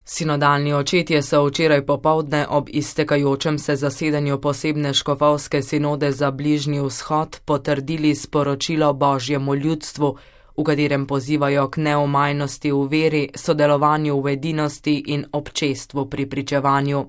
Sinodalni očetje so včeraj popoldne ob iztekajočem se zasedanju posebne škofovske sinode za Bližnji vzhod potrdili sporočilo Božjemu ljudstvu, v katerem pozivajo k neomajnosti v veri, sodelovanju v edinosti in občestvu pri pričevanju.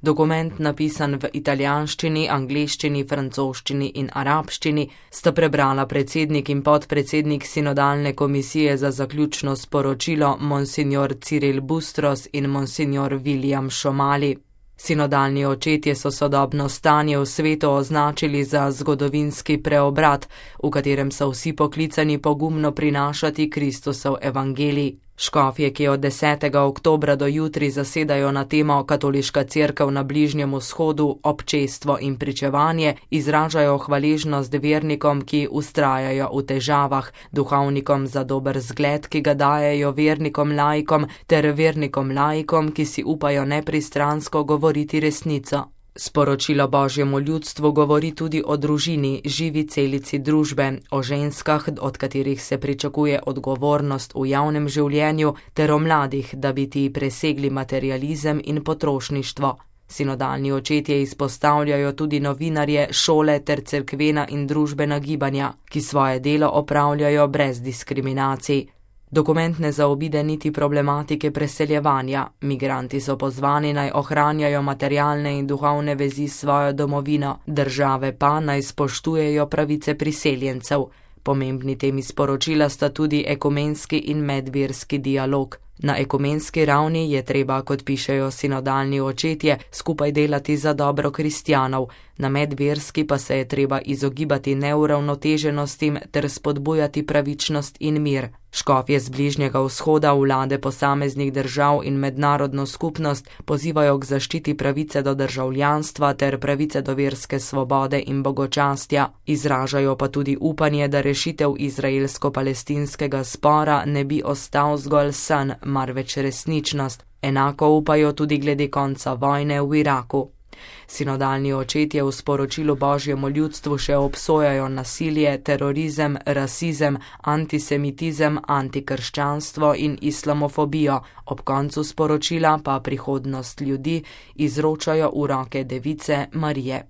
Dokument, napisan v italijanščini, angleščini, francoščini in arabščini, sta prebrala predsednik in podpredsednik Sinodalne komisije za zaključno sporočilo monsignor Cyril Bustros in monsignor William Šomali. Sinodalni očetje so sodobno stanje v svetu označili za zgodovinski preobrat, v katerem so vsi poklicani pogumno prinašati Kristusov evangelij. Škofje, ki od 10. oktobra do jutri zasedajo na temo Katoliška cerkev na Bližnjem vzhodu, občestvo in pričevanje, izražajo hvaležnost vernikom, ki vztrajajo v težavah, duhovnikom za dober zgled, ki ga dajejo vernikom laikom, ter vernikom laikom, ki si upajo nepristransko govoriti resnico. Sporočilo Božjemu ljudstvu govori tudi o družini, živi celici družbe, o ženskah, od katerih se pričakuje odgovornost v javnem življenju, ter o mladih, da bi ti presegli materializem in potrošništvo. Sinodalni očetje izpostavljajo tudi novinarje, šole ter cerkvena in družbena gibanja, ki svoje delo opravljajo brez diskriminacij. Dokument ne zaobide niti problematike preseljevanja. Migranti so pozvani naj ohranjajo materialne in duhovne vezi s svojo domovino, države pa naj spoštujejo pravice priseljencev. Pomembni temi sporočila sta tudi ekumenski in medverski dialog. Na ekumenski ravni je treba, kot pišejo sinodalni očetje, skupaj delati za dobro kristjanov, na medverski pa se je treba izogibati neuravnoteženostim ter spodbujati pravičnost in mir. Škofje z Bližnjega vzhoda, vlade posameznih držav in mednarodno skupnost pozivajo k zaščiti pravice do državljanstva ter pravice do verske svobode in bogočastja. Izražajo pa tudi upanje, da rešitev izraelsko-palestinskega spora ne bi ostal zgolj san, marveč resničnost. Enako upajo tudi glede konca vojne v Iraku. Sinodalni očetje v sporočilu Božjemu ljudstvu še obsojajo nasilje, terorizem, rasizem, antisemitizem, antikrščanstvo in islamofobijo. Ob koncu sporočila pa prihodnost ljudi izročajo v roke Device Marije.